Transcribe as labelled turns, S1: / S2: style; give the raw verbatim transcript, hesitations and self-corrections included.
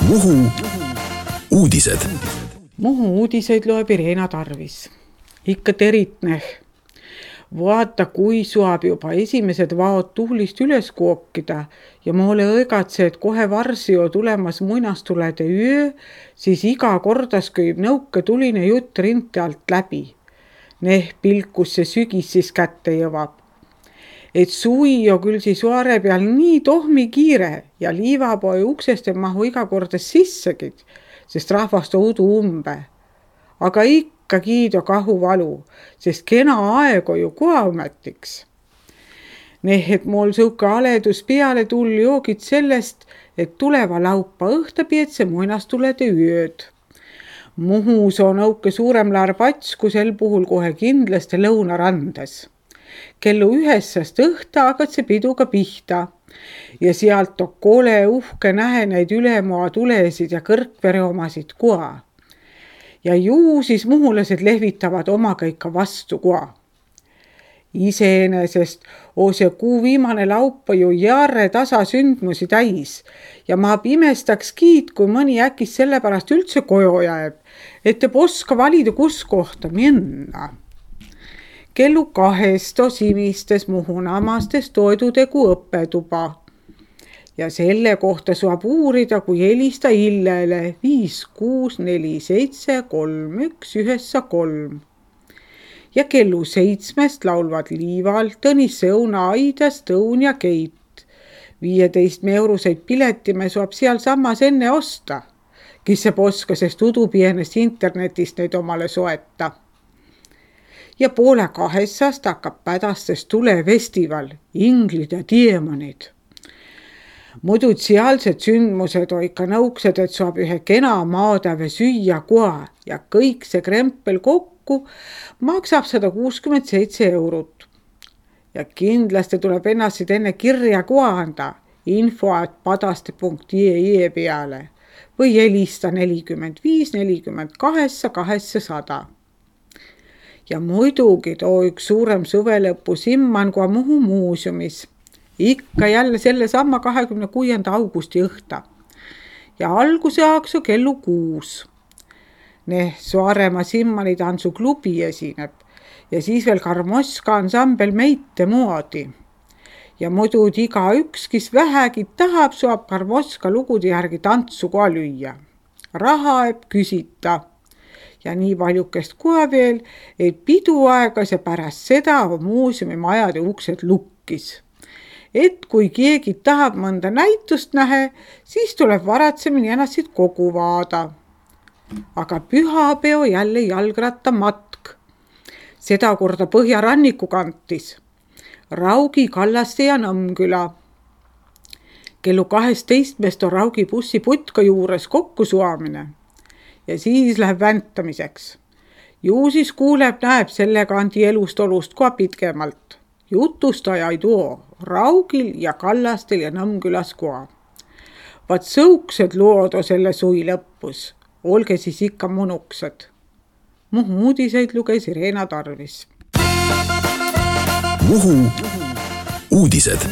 S1: Muhu uudised.
S2: Muhu uudiseid loeb Irena Tarvis. Ikka teritneh. Vaata, kui suab juba esimesed vaod tuhlist üles kuokkida ja moole õigatse, et kohe varsi jo tulemas muinastulede öö, siis iga kordas köib nõuke tuline jutt rinte alt läbi. Neh pilkus see sügis siis kätte jõvab. Et suvi jo küll siis vaare peal nii tohmi kiire ja liivapoe uksest ei mahu iga kordas sissegid, sest rahvast udu umbe. Aga ikka kiido kahu valu, sest kena aego ju kuaumetiks. Neh, et mul sõuka aledus peale tulli joogid sellest, et tuleva laupa õhta pietse muinastulede ööd. Muhus on õuke suurem larpats, kui sel puhul kohe kindlasti lõunarandes. Kellu ühessast õhta hakkad see piduga pihta ja sealt on kole uhke nähe neid ülemoa tulesid ja kõrkvere omasid koa. Ja ju siis muhulased lehvitavad omaga ikka vastu koa. Iseenesest on see kuu viimane laupa ju jaare tasa sündmusi täis ja ma imestaks kiid, kui mõni äkis sellepärast üldse koju jääb, et te oska valida kus kohta minna. Kellu kahest o simistes Muhu namastes toidutegu õppetuba. Ja selle kohta saab uurida, kui helista illele viis kuus neli seitse kolm üks üheksa kolm. Ja kellu seitsmest laulvad liival Tõnis Õuna Aidas, Tõun ja Keit. viieteist euroseid piletime saab seal samas enne osta, kes see poska, sest udupienest internetist neid omale soeta. Ja poole kahessast hakkab pädastes tulefestival Inglid ja Diemonid. Muidu sealsed sündmused on ikka nõuksed, et saab ühe kena maadäve süüa koa ja kõik see krempel kokku maksab sada kuuskümmend seitse eurot. Ja kindlasti tuleb ennast enne kirja koa anda info at padaste punkt ee ee peale või helista nelikümmend viis nelikümmend kaheksa kaheksasada. Ja muidugi too üks suurem suvelõpu simman kui Muhu muuseumis. Ikka jälle selle sama kahekümne kuuenda augusti õhta. Ja alguse aaksu kellu kuus. Neh Saaremaa simmani tantsuklubi esineb ja siis veel Karmoska ansambel Meite moodi. Ja muidu iga üks, kes vähegi tahab, saab Karmoska lugude järgi tantsu koha lüüa. Raha eb küsita. Ja nii paljukest koha veel, et pidu aegas ja pärast seda on muuseumi majade uksed lukkis. Et kui keegi tahab mõnda näitust nähe, siis tuleb varatsemini ennast siit kogu vaada. Aga pühapeo jälle jalgratta matk. Seda korda Põhjaranniku kantis. Raugi, Kallaste ja Nõmmküla. Kellu kaheteistkümnest on Raugi bussi putka juures kokku suamine. Ja siis läheb väntamiseks. Ju siis kuuleb, näeb selle kandi elust olust koha pitkemalt. Jutustajaid tuo Raugil ja Kallastel ja Nõmmkülas koha. Vaat sõuksed lood on selle suvi lõppus. Olge siis ikka monuksed. Muhu uudiseid luges Irena Tarvis.
S1: Muhu uudised.